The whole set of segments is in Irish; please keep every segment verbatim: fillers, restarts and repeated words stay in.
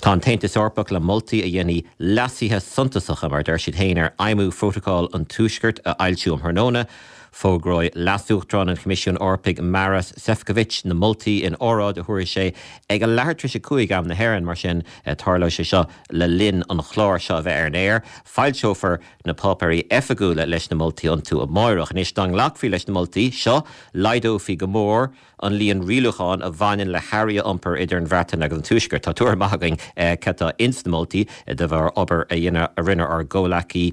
Tá an tAontas Eorpach le moltaí a dhéanfaidh leasuithe suntasacha mar deir siad féin ar fheidhmiú Phrótacal an Tuaiscirt a fhoilsiú um thráthnóna. Fógróidh Leas-Uachtarán an Choimisiúin Eorpaigh Maros Sefcovic na moltaí in óráid a thabharfaidh sé ag a leathuair tar éis a cúig am na hÉireann mar sin tarlóidh sé seo le linn an chláir seo a bheith ar an aer. Foilseofar na páipéirí oifigiúla leis na moltaí iontu amárach. Anois dá nglacfaí leis na moltaí seo laghdófaí go mór an líon rialúchán a bhaineann le hearraí a iompar idir an Bhreatain agus an Tuaisceart. Tá tuairim maith againn cad atá ins na moltaí de bharr obair a dhéanamh a rinne ár gcomhghleacaí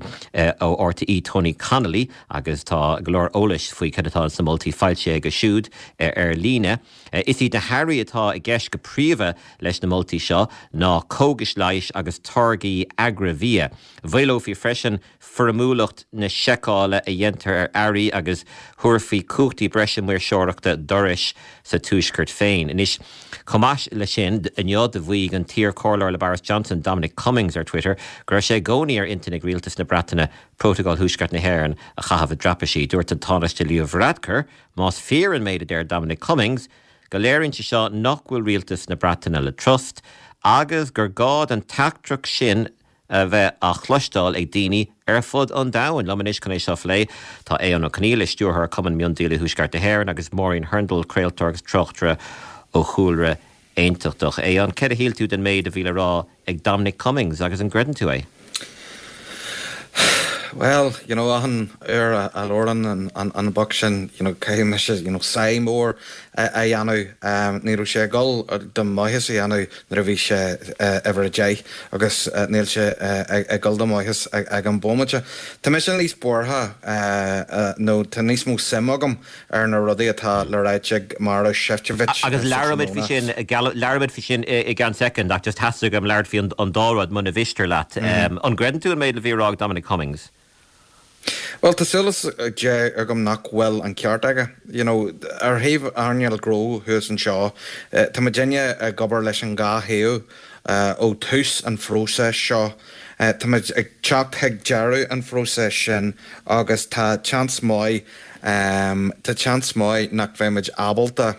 ó RTÉ Tony Connolly agus tá go leor eolais faoi cad atá sna moltaí foilsithe aige siúd ar líne. Is iad na hearraí atá i gceist go príomha leis na moltaí seo ná cógais leighis agus táirgí agraibhia. Mhaolófaí freisin foirmiúlacht na seiceála a dhéantar ar earraí agus thabharfaí cumhachtaí breise maoirseoireachta d'fhorais sa Tuaisceart féin. Anois chomh maith le sin inniu do mhaígh an t-iarchomhairleoir le Boris Johnson Dominic Cummings ar Twitter go raibh sé i gcónaí ar intinn ag rialtas na Breataine Prótacal Thuaisceart na hÉireann a chaitheamh i dtraipisí. Dúirt an Tánaiste Leo Varadkar más fíor an méid a deir Dominic Cummings go léiríonn sé seo nach bhfuil rialtas na Breataine le trust agus gur gá don teachtaireacht sin a bheith á chloisteáil ag daoine ar fud an domhain. Liom anois chun é seo a phlé tá Aodhán Ó Conghaile stiúrthóir Cumann Miondíola Thuaisceart na hÉireann agus Máirín Hurndall craoltóir agus tráchtaire ó chúlra aontachtach. Aodhán céard a shíl tú den méid a bhí le rá ag Dominic Cummings agus an gcreideann tú é. Well, you know, an ar a labhrann an, an, an boc sin you know, caithfidh mise you know, sigh mór a dhéanamh um, ní raibh sé ag dul do mhaitheas a dhéanamh nuair a bhí sé uimhir a deich agus uh, níl sé uh, ag dul do mhaitheas ag an bhomaite. Tá mise níos buartha uh, nó tá níos mó suim agam ar na rudaí atá le ráit ag Maros Sefcovic. Agus labhróimid faoi sin labhróimid faoi sin i gceann soicind ach just theastaigh uaim labhairt faoi an dá rud muna mhiste leat. Mm. Um, an gcreideann tú an méid a bhí á rá ag Dominic Cummings? Well tá súil agam nach bhfuil an ceart aige. You know, ar thaobh earnáil gnó thuas anseo, uh, Tá muidinne ag obair leis an dhá thaobh uh, ó thús an phróisis seo. Uh, Tá muid ag teacht chuig deireadh an phróisis sin agus tá seans maith um, tá seans maith nach mbeimid ábalta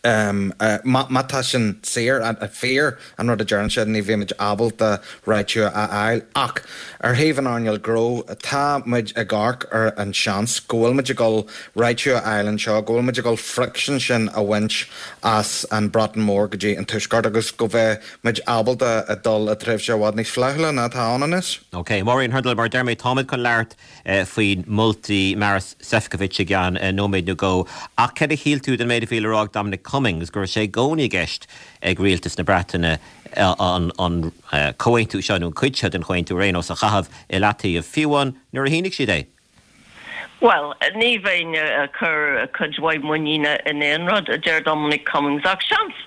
um, uh, má tá sin saor a fíor an rud a deireann sé ní bheimid ábalta réiteach a fháil ach ar thaobh an earnáil gnó tá muid ag amharc ar an seans go bhfuil muid ag dul réiteach a fháil anseo, go bhfuil muid ag dul friction sin a bhaint as an Bhreatain Mhór go dtí an Tuaisceart agus go bheith muid ábalta a dul i dtréimhse i bhfad níos flaithiúla ná atá ann anois. Ok, Maureen Hurndall mar deir mé táimid chun labhairt uh, faoi mholtaí Maros Sefcovic i gceann uh, nóiméad nó dhó ach céard a shíl tú den méid a bhí le rá ag Dominic Cummings go raibh sé i gcónaí i gceist ag rialtas na Breataine an, an uh, comhaontú seo nó cuid seo den chomhaontú ar aon nós a chaitheamh i leataobh fiú amháin nuair a shínigh siad é. Well, ní bheinn ag cur cuid mhaith muiníne in aon rud a deir Dominic Cummings ach seans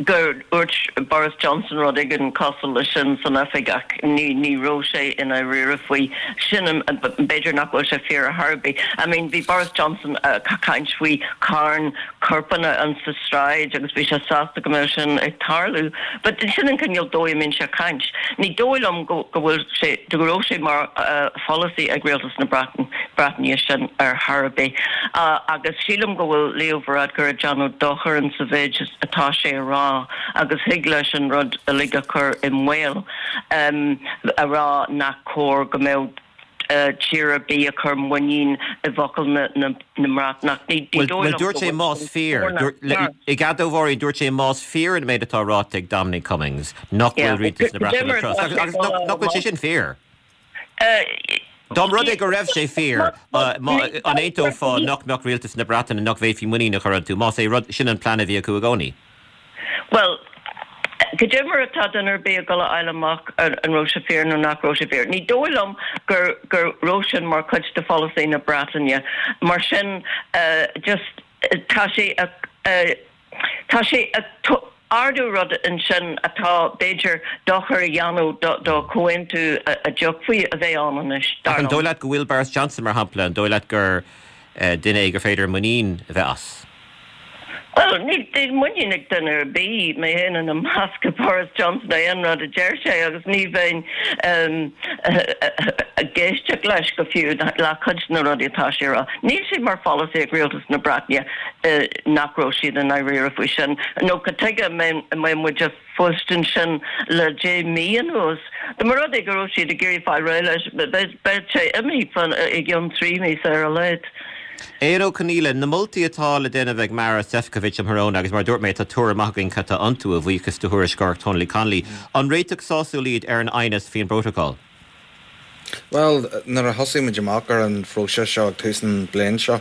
gur dúirt Boris Johnson rud éigin cosúil leis sin san oifig ach ní ní raibh sé ina réir faoi sin b'fhéidir nach bhfuil sé fíor ar bith. I mean bhí Boris Johnson uh, caint faoi carn corpanna an sa sráid agus bhí sé sásta go mbeadh sin ag tarlú, But sin an cineál dóigh a mbíonn sé caint. Ní dóigh liom go bhfuil sé go raibh sé mar uh, pholasaí ag rialtas na Breataine Breataine sin ar chor ar bith. Uh, agus sílim go bhfuil Leo Varadkar ag déanamh dochar an sa mhéid atá sé a rá agus thig leis an rud uilig a chur i mbaol um, a rá nach cóir go mbeadh uh, tír ar bith ag cur muinín i bhfocail na, na, na mBreatnach. Well dúirt sé más fíor i gadóháirí dúirt sé más fíor an méid atá ráite ag Dominic Cummings nach bhfuil rialtas na Breataine agus nach bhfuil sé sin fíor. Uh, Dá mba rud é go raibh sé fíor an aontófá nach mbeadh rialtas na Breataine nach bhféadfaí muinín a chur iontu más é rud sin an plean a bhí acu i gcónaí. Well, Go dtimar atá den ar bé go eile amach an raibh sé fíor nó nach raibh sé fíor. Ní dóigh liom gur gur raibh sin mar chuid de pholasaí na Breataine, mar sin uh, just tá sé uh, tá sé ardú rud ansin atá b'fhéidir dochar a dhéanamh do chomhaontú a d'fhéadfaí a bheith ann anois. An dóigh leat go bhfuil Boris Johnson mar shampla an dóigh leat gur duine gur féidir muinín a bheith as. Well, níl muinín ag duine ar bith mé féin ina measc Boris Johnson aon rud a deir sé agus ní bheinn ag éisteacht leis go fiú le cuid na rudaí atá sé rá. Níl sé mar pholasaí ag rialtas na Breataine nach raibh siad i ndáiríre faoi sin. Nó cad chuige mbeadh muid ag fóirstean sin le deich mí anuas. Dá mba rud é go raibh siad ag iarraidh fáil réidh leis, beidh sé imithe i gcionn trí mí ar a laghad. Eoghan Ó Conghaile, na moltaí atá le déanamh ag Maros Sefcovic um thráthnóna agus mar dúirt mé tá tuairim maith againn cad tá iontu a bhuíochas do thuairisceoir Tony Connolly. An réiteach sásúil iad ar an aighneas faoin bprótacal? Well, nuair a thosaigh muid amach ar an phróiseas seo ag tús an bliain seo,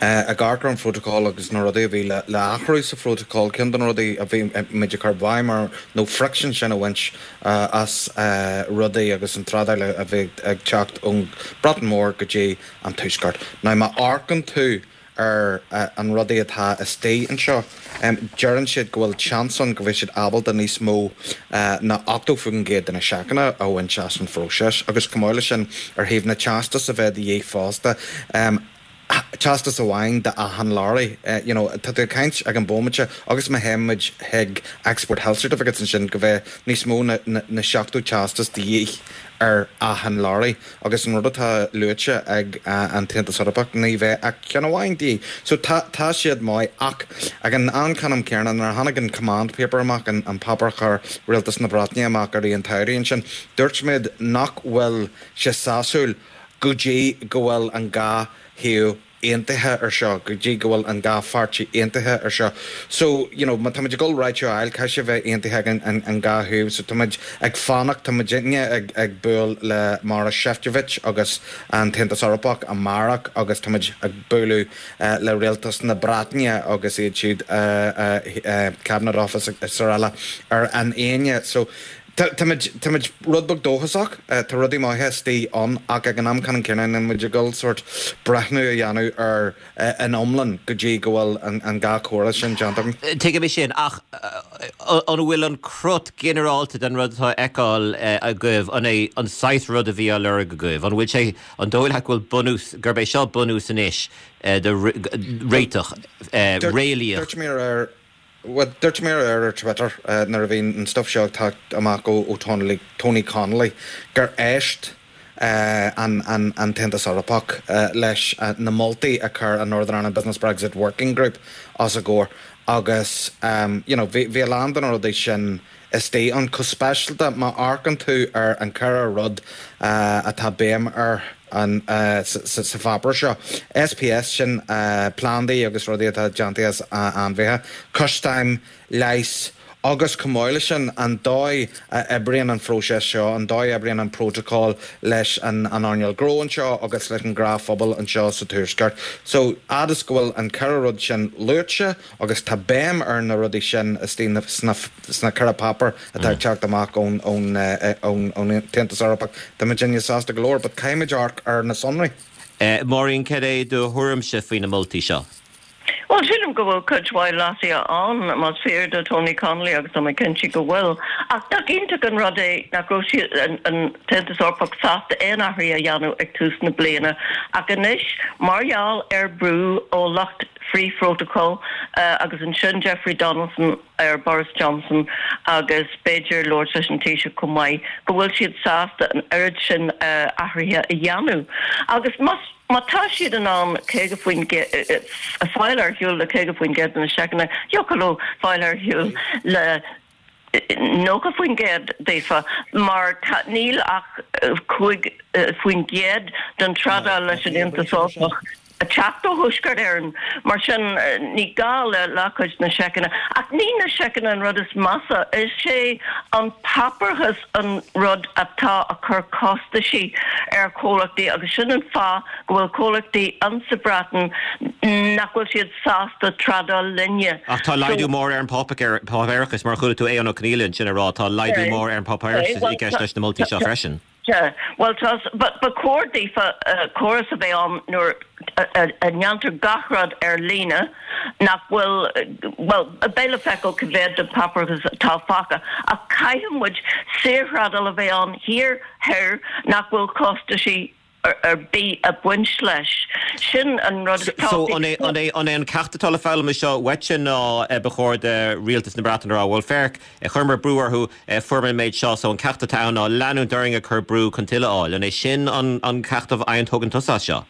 ag amharc ar an phrótacal agus na rudaí a bhí le le athrú sa phrótacal, ceann de na rudaí a bhí muid ag cur béim air ná friction sin a bhaint as rudaí agus an trádáil a bhí ag teacht ón Breatain Mhór go dtí an Tuaisceart. Now má amharcann tú ar an rudaí atá istigh anseo, deireann siad go bhfuil seans ann go bhfuil siad ábalta níos mó ná ochtó faoin gcéad de na seiceanna a bhaint as an phróiseas agus chomh maith leis sin ar thaobh na teastas a bheith de dhíth fosta, teastas amháin d'achan leoraí. You know, tá tú ag caint ag an bhomaite agus má théann muid chuig Export Health Certificates ansin go bheith níos mó na na seachtó teastas de dhíth ar achan leoraí agus an rud atá luaite ag an tAontas Eorpach ní bheidh ach ceann amháin de dhíth. So tá tá siad maith ach ag an am ceannann céanna nuair a tháinig an command paper amach an an páipéar a chuir Rialtas na Breataine amach i rith an tsamhraidh ansin dúirt muid nach bhfuil sé sásúil go dtí go bhfuil an dhá thaobh aontaithe ar seo, go dtí go bhfuil an dhá pháirtí aontaithe ar seo. So, you know, má táimid ag dul réiteach a fháil, caithfidh sé bheith aontaithe ag an, an, an dhá thaobh. So táimid ag fanacht, táimidne ag, ag bualadh le Maros Sefcovic agus an tAontas Eorpach amárach agus táimid ag bualadh uh, le rialtas na Breataine agus iad siúd uh, uh, uh, Cabinet Office is araile ar an Aoine. So, Táimid rud beag dóchasach, tá rudaí maithe istigh ann ach ag an am ceannann céanna níl muid ag dul sórt breathnú a dhéanamh ar an iomlán go dtí go bhfuil an dhá chóras sin déanta. Tuigim é sin ach an bhfuil an crot ginearálta den rud atá feiceáil agaibh an é an saghas rud a bhí á lorg agaibh, an bhfuil sé an dóigh leat go bhfuil bunús gurb é seo bunús anois de réiteach réalaíoch. Dúirt mé ar Well, dúirt mé ar ar Twitter nuair a bhí an stuff seo ag teacht amach ó ó Tony, Tony Connolly gur éist an, an, an tAontas Eorpach leis na moltaí a chuir an Northern Ireland Business Brexit Working Group os a gcomhair agus um, you know, bhí a lán de na rudaí sin istigh ann go speisialta má amharcann tú ar an ceithre rud uh, atá béim ar an uh, sa, sa pháipéar seo. SPS sin uh, plandaí agus rudaí atá déanta as uh, ainmhithe, custaim, leighis, agus chomh maith leis sin an dóigh a oibríonn an phróiseas seo, an dóigh a oibríonn an protocol leis an an earnáil gnó anseo agus leis an ngnáthphobal anseo sa Tuaisceart. So fhad is go bhfuil an ceithre rud sin luaite agus tá béim ar na rudaí sin istigh sna sna ceithre páipéar atá ag teacht amach ón ón ón ón Aontas Eorpach. Tá muidne sásta go leor, but caithfimid amharc ar na sonraí. Uh, Maureen cad é do thuairimse faoi na moltaí seo. Well sílim go bhfuil cuid mhaith leasuithe ann más fíor do Tony Connolly agus tá mé cinnte go bhfuil. Ach nach iontach an rud é nach raibh siad an tAontas Eorpach sásta aon athrú a dhéanamh ag tús na bliana. Ach anois mar gheall ar brú ó lucht frith-phrotocol uh, agus ansin Jeffrey Donaldson ar Boris Johnson agus b'fhéidir labhairt leis an Taoiseach chomh maith go bhfuil siad sásta an oiread sin uh, athruithe a dhéanamh. Agus más má tá siad in ann caoga faoin a fáil ar shiúl le caoga faoin gcéad na seiceanna, thiocfadh leo fáil ar shiúl le nócha faoin gcéad daofa mar níl ach cúig faoin gcéad den trádáil leis an Aontas Eorpach ag teacht ó Thuaisceart Éireann mar sin ní gá le leathchuid na seiceanna ach ní na seiceanna an rud is measa is é an páipéarachas an rud atá ag cur costaisí ar chomhlachtaí agus sin an fáth go bhfuil comhlachtaí ansa Breatain nach bhfuil siad sásta trádáil linne. Ach tá laghdú mór ar an páipéarachas mar chuala tú Eoghan Ó Conghaile sin ag rá tá laghdú mór ar an páipéarachas i gceist leis na moltaí seo freisin. Yeah, well but ba chóir daofa uh, córas a bheith ann nuair a ndéantar gach rud ar líne nach bhfuil well beidh le feiceáil cá mhéad de páipéarachas atá fágtha ach caithfidh muid saorthrádáil a bheith ann thiar thoir nach bhfuil costaisí ar bith ag baint leis. Sin an rud is So an é an é an é an ceacht atá le foghlaim anseo uaitse ná ba chóir do rialtas na Breataine a rá bhuel féach chuireamar brú orthu fuaireamar an méid seo so an ceacht atá ann ná leanúint orainn ag cur brú chun tuilleadh a fháil. An é sin an an ceacht a fhaigheann tusa as seo?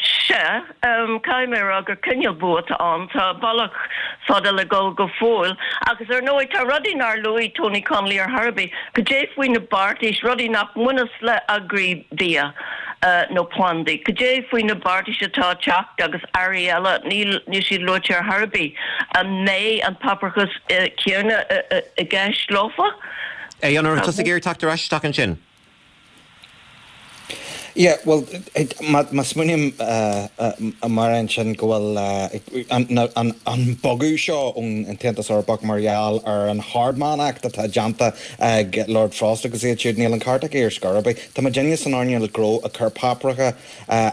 Sea, caithfidh mé a rá gur cineál bua atá ann, tá bealach fada le dul go fóill agus ar ndóigh tá rudaí nár luaigh Tony Connelly ar chor ar bith, cad é faoi na beartais, rudaí nach mbaineas le agraibhia nó plandaí, cad é faoi na beartais atá ag teacht agus earraí eile, níl níl siad luaite ar chor ar bith. An mbeidh an páipéarachas céanna i gceist leofa? Aodhán, an raibh tusa ag iarraidh teacht ar ais isteach ansin? Yeah, well, má smaoiním mar ansin go bhfuil an bogadh seo ón Aontas Eorpach mar gheall ar an Hardman Act atá déanta ag Lord Frost agus iad siúd, níl an ceart aige ar scor ar bith. Tá muidinne san earnáil gnó ag cur páipéaracha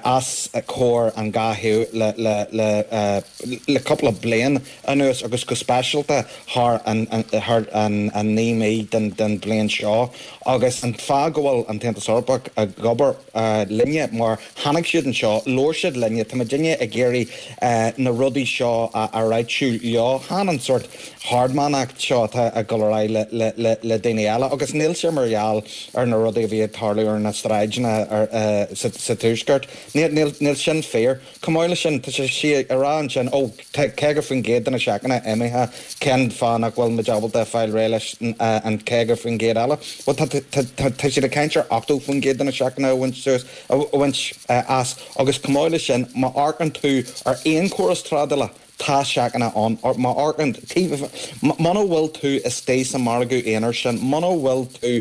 os comhair an dhá thaobh le le le le cúpla bliain anuas agus go speisialta thar an thar an an naoi mí den den bhliain seo agus an fáth go bhfuil an tAontas Eorpach ag obair linne mar tháinig siad anseo, labhair siad linne, tá muidinne ag iarraidh na rudaí seo a réitiú leo, chan an sórt Hardman Act seo atá ag dul ar aghaidh le le le daoine eile agus níl sé mar gheall ar na rudaí a bhí ag tarlú ar na sráideanna sa sa Tuaisceart. Níl níl níl sin fíor. Chomh maith leis sin, tá sé sí ag rá ansin, ó, tá caoga faoin gcéad de na seiceanna imithe, cén fáth nach bhfuil muid ábalta fáil réidh leis an caoga faoin gcéad eile? Bhuel, tá tá tá tá siad ag caint ar ochtó faoin gcéad de na seiceanna a bhaint suas, a bhaint as agus chomh maith leis sin, má amharcann tú ar aon chóras trádála, tá seiceanna ann, má amharcann, muna bhfuil tú istigh sa mhargadh aonair sin, muna bhfuil tú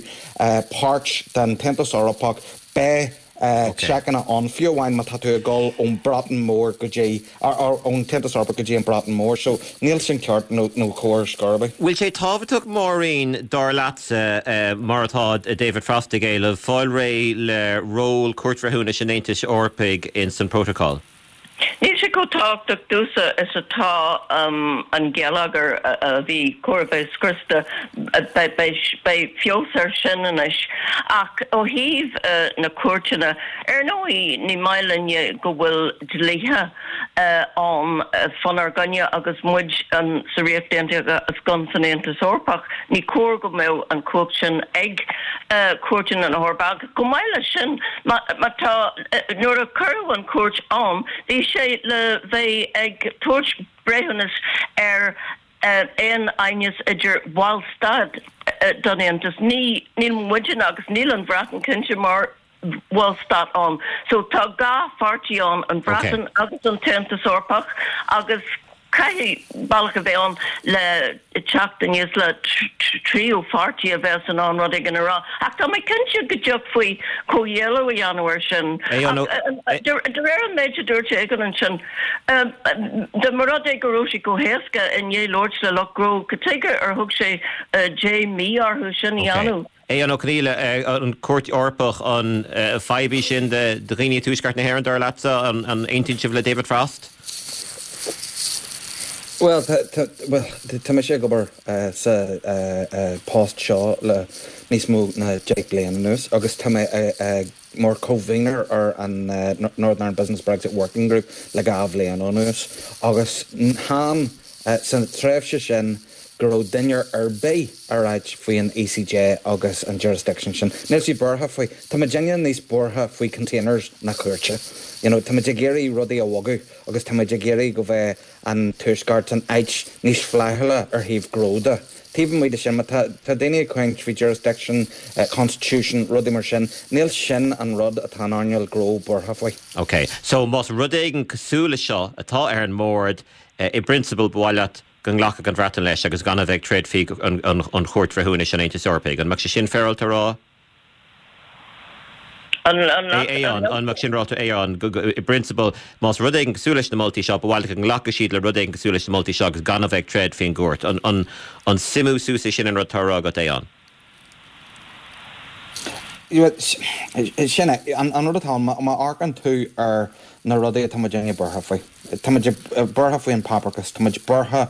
páirt den tAontas Eorpach, beidh seiceanna ann, fiú amháin má tá tú ag dul ón Breatain Mhór go dtí, ón tAontas Eorpach go dtí an Breatain Mhór. So níl sin ceart nó nó cóir ar scor ar bith. Bhfuil sé tábhachtach Máirín, dar leatsa, mar atá David Frost ag éileamh, fáil réidh le ról Chúirt Bhreithiúnais an Aontais Eorpaigh in san protocol? Níl sé chomh tábhachtach domhsa is atá an geilleagar a bhí chóir a bheith scriosta, beidh feabhas air sin anois. Ach ó thaobh na cúirteanna, ar ndóigh ní maith linne go bhfuil dlíthe ann fánár gcoinne agus muid sa Ríocht Aontaithe agus gan san Aontas Eorpach. Ní cóir go mbeadh an chumhacht sin ag cúirteanna na hEorpa. Agus chomh maith leis sin, má tá, nuair a cuireadh an chúirt ann, bhí sé le bheith ag tabhairt breithiúnas ar aon aighneas idir bhallstáit den Aontas. Ní, níl muidne agus níl an Bhreatain cinnte mar bhallstát ann. So tá dhá pháirtí ann, an Bhreatain agus an tAontas Eorpach, agus caithfidh bealach a bheith ann le teacht aníos le tríú pháirtí a bheas in ann rud éigin a rá. Ach tá mé cinnte go dtiocfaí comhghéilleadh a dhéanamh air sin. Ach de réir an méid a dúirt Aogán ansin, dá mba rud é go raibh sé chomh héasca i ndiaidh labhairt le lucht gnó, cad chuige ar thug sé deich mí orthu sin a dhéanamh? Aodhán Ó Conghaile, an Chúirt Eorpach, an fadhb í sin do dhaoine i dTuaisceart na hÉireann, dar leatsa? An aontaíonn sibh le David Frost? Bhuel, tá mise ag obair sa post seo le níos mó ná deich bliain anuas agus tá mé mar convener ar an Northern Ireland Business Brexit Working Group le dhá bhliain anuas agus chan sa tréimhse sin go raibh duine ar bith ag ráit faoi an ECJ agus an jurisdiction sin. Níl siad buartha faoi. Tá muidinne níos buartha faoi containers na cúirte. You know, tá muid ag iarraidh rudaí a bhogadh agus tá muid ag iarraidh go bheith an Tuaisceart san áit níos flaithiúla ar thaobh gnó de. Taobh amuigh de sin, má tá tá daoine ag caint faoi jurisdiction, constitution, rudaí mar sin, níl sin an rud atá an earnáil gnó buartha faoi. Ok, so más rud éigin cosúil le seo atá ar an mbord, i bprionsabal ba mhaith leat go nglacfadh an Bhreatain leis agus gan a bheith ag troid faoi an Chúirt Bhreithiúnais an Aontais Eorpaigh. An mbeadh sé sin féaráilte a rá? Aodhán, an mbeadh sin ráite Aodhán, i bprionsabal, más rud éigin cosúil leis na moltaí seo, ba mhaith leat go nglacfadh siad le rud éigin cosúil leis na moltaí seo agus gan a bheith ag troid faoin gcúirt. An suimiú suas é sin an rud atá á rá agat, Aodhán? Sin é. An rud atá ann, má amharcann tú ar na rudaí atá muidinne buartha faoi. Tá muid buartha faoi an páipéarachas, tá muid buartha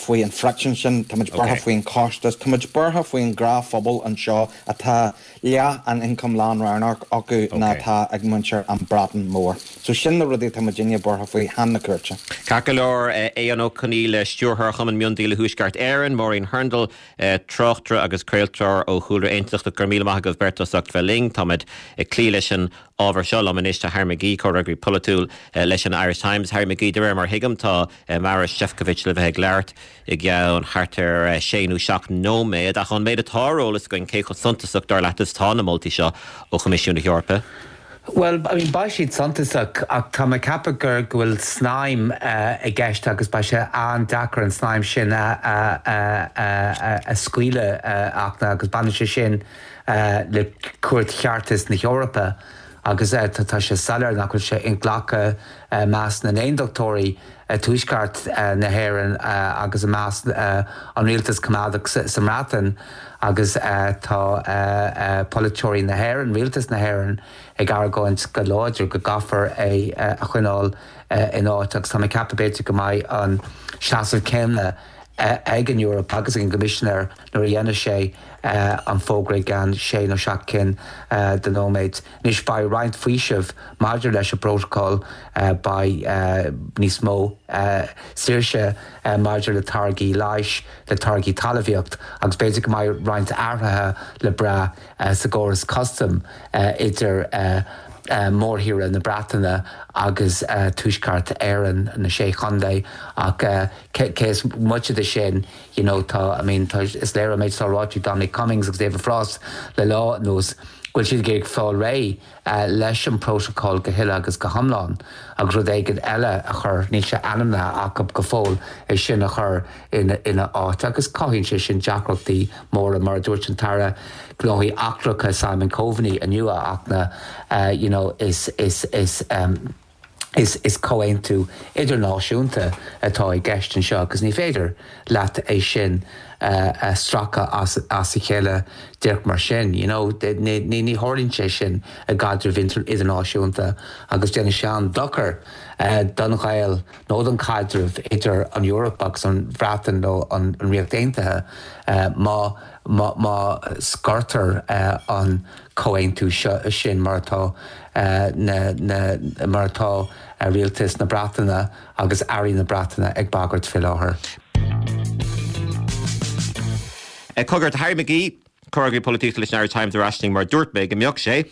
faoi an friction sin, tá muid buartha faoin costas, tá muid buartha faoin ngnáthphobal anseo atá leath an ioncam lánroghnach acu ná atá ag muintir an Bhreatain Mhór. So sin na rudaí atá muidinne buartha faoi chan na cúirte. Ceart go leor Aodhán Ó Conghaile, Stiúrthóir Chumann Miondíola Thuaisceart Éireann, Máirín Hurndall, tráchtaire agus craoltóir ó chúlra aontachtach go raibh míle maith agaibh beirt as ucht bheith linn, Táimid ag cloí leis an ábhar seo liom anois tá Harry McGee comhfhreagraí polaitiúil leis an Irish Times. Harry McGee de réir mar thuigim tá Maros Sefcovic le bheith ag labhairt i gceann thart ar sé nó seacht nóiméad ach an méid atá ar eolas againn cé chomh suntasach dar leat is atá na moltaí seo ó Choimisiún na hEorpa. Well, I mean, beidh siad suntasach ach tá mé ag ceapadh gur go bhfuil snaidhm uh, i gceist agus beidh sé an-deacair an snaidhm sin a, a, a, a, a scaoileadh uh, ach agus baineann sé sin uh, le Cúirt Cheartais na hEorpa. agus uh, tá sé soiléir nach bhfuil sé inghlactha uh, measc na n-aontachtóirí uh, tuaisceart uh, na hÉireann uh, agus i measc uh, an rialtas coimeádach sa, sa mBreatain agus uh, tá uh, uh, polaiteoirí na hÉireann, rialtas na hÉireann ag argóint go láidir go gcaithfear é uh, a choinneáil uh, in áit agus tá mé ag ceapadh b'fhéidir go mbeidh an seasamh céanna ag an Eoraip agus ag an gCoimisinéir nuair a dhéanfaidh sé an fógra i gceann sé nó seacht cinn de nóiméid. Anois beidh roinnt faoiseamh maidir leis an bprótacal beidh níos mó saoirse maidir le táirgí leighis le táirgí talmhaíocht agus b'fhéidir go mbeidh roinnt athruithe le brath sa gcóras custam idir mórthíre na Breataine agus Tuaisceart Éireann na sé chontae ach cé is moite de sin you know, tá I mean, tá is léir méid tá ráite Dominic Cummings agus David Frost le lá anuas go bhfuil siad ag fáil réidh uh, leis an protocol go huile agus go hiomlán agus rud éigin eile a chur níl sé ainmnithe acu go fóill é sin a chur ina, ina áit agus cothaíonn sé sin deacrachtaí móra mar dúirt an tAire Gnóthaí Eachtracha Simon Coveney inniu ach na uh, you know, is, is, is um, is, is comhaontú idirnáisiúnta atá i gceist anseo agus ní féidir leat é sin uh, a stracadh as, as a chéile díreach mar sin. You know, ní, ní, ní tharlaíonn sé sin i gcaidreamh idirnáisiúnta agus déanann sé an-dochar uh, don ghaol nó don chaidreamh idir an Eoraip agus an Bhreatain nó an, an Ríocht Aontaithe uh, má má, má scortar uh, an comhaontú seo sin mar atá uh, na, na, mar atá uh, rialtas na Breataine agus airí na Breataine ag bagairt faoi láthair. Cogar Harry McGee, comhfhreagraí polaitíochta leis an Irish Times ar ais linn mar dúirt mé go mbeadh sé.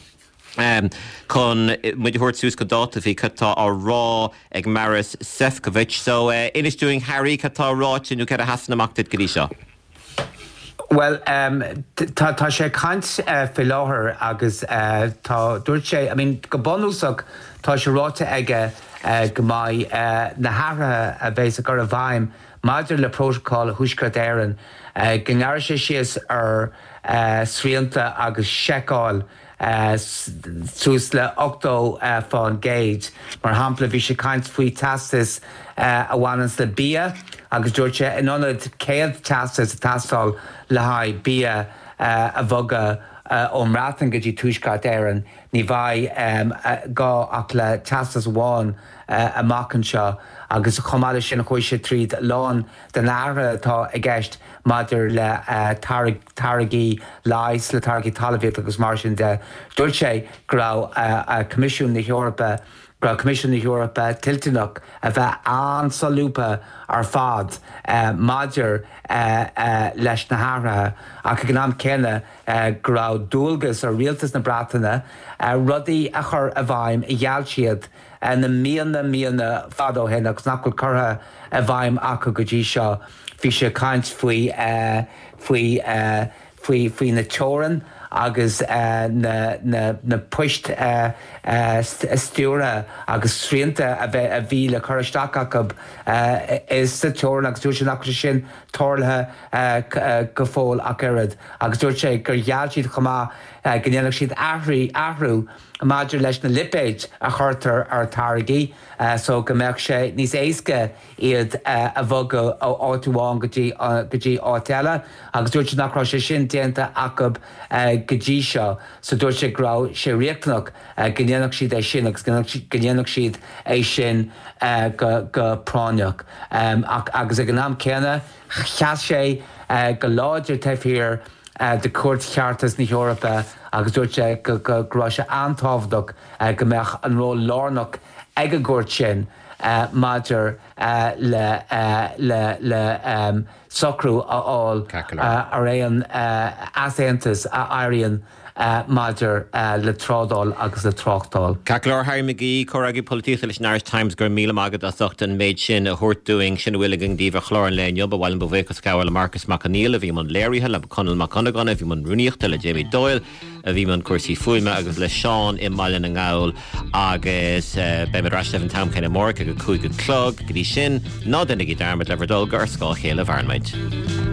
Um, chun muid a thabhairt suas go dáta faoi cad tá á rá ag Maros Sefcovic, so uh, inis dúinn Harry cad tá ráite nó cad a sheasann amach duit go dtí seo. Well um, tá tá sé ag caint uh, faoi láthair agus uh, tá dúirt sé I mean, go bunúsach tá sé ráite aige uh, go mbeidh uh, na hathruithe a bheas á gcur i bhfeidhm maidir le protocol Thuaisceart Éireann uh, go ngearrfaidh sé síos ar uh, srianta agus seiceáil uh, suas le ochtó uh, faoin gcéad. Mar shampla bhí sé ag caint faoi teastas uh, a bhaineanns le bia agus dúirt sé in ionad céad teastas ag teastáil le haghaidh bia uh, a bhogadh uh, ón mBreatain go dtí Tuaisceart Éireann ní bheidh um, uh, gá ach le teastas amháin uh, amach anseo agus chomh maith leis sin chuaigh sé tríd lán den athruithe atá i gceist maidir le uh, táirgí leighis le táirgí talmhaíochta agus mar sin de. Dúirt sé go raibh uh, uh, Coimisiún na hEorpa go raibh Coimisiún na hEorpa toilteanach a bheith an-solúbtha ar fad uh, maidir uh, uh, leis na hathruithe ach ag an am céanna uh, go raibh dualgas ar rialtas na Breataine uh, rudaí a chur i bhfeidhm a gheall siad uh, na míonna míonna fada ó shin agus nach bhfuil curtha i bhfeidhm acu go dtí seo. Bhí sé ag caint faoi uh, faoi uh, faoi faoi na teorann agus uh, na, na, na poist uh, uh, stiúrtha agus srianta a bheith a bhí le cur isteach acu uh, is sa teorainn agus dúirt sé nach bhfuil sé sin tarlaithe uh, uh, go fóill ach oiread agus dúirt sé gur gheall siad chomh maith uh, go ndéanfadh siad athrú athrú maidir leis na lipéid a chuirtear ar táirgí uh, so go mbeadh sé níos éasca iad uh, a bhogadh ó áit amháin go dtí uh, go dtí áit eile agus dúirt sé nach raibh sé sin déanta acu uh, go dtí seo so dúirt sé go raibh sé riachtanach go ndéanfadh siad é sin agus go ndéanfadh siad é sin go práinneach. Agus ag an am céanna sheas sé go láidir taobh thiar de Chúirt Cheartais na hEorpa agus dúirt sé go raibh sé an-tábhachtach go mbeadh an ról lárnach ag an gcúirt sin maidir le le socrú a fháil ar aon easaontas a éiríonn maidir le trádáil agus le tráchtáil. Ceart go leor Harry McGee, Comhfhreagraí Polaitíochta leis an Irish Times, go raibh míle maith agat as ucht an méid sin a thabhairt dúinn. Sin a bhfuil againn daoibh ar chlár an lae inniu. Ba mhaith liom mo bhuíochas a ghabháil le Marcas Mac Conghail a bhí i mbun léirithe, le Conall Mac Dhonnagáin a bhí i mbun rúnaíochta, le Jamie Doyle a bhí i mbun cúrsaí fuaime agus le Seán i mBaile na nGall agus beimid ar ais libh an t-am céanna amárach ag a cúig a chlog. Go dtí sin, ná déanaigí dearmad le bhur dtoil gur ar scáth a chéile a mhaireann muid.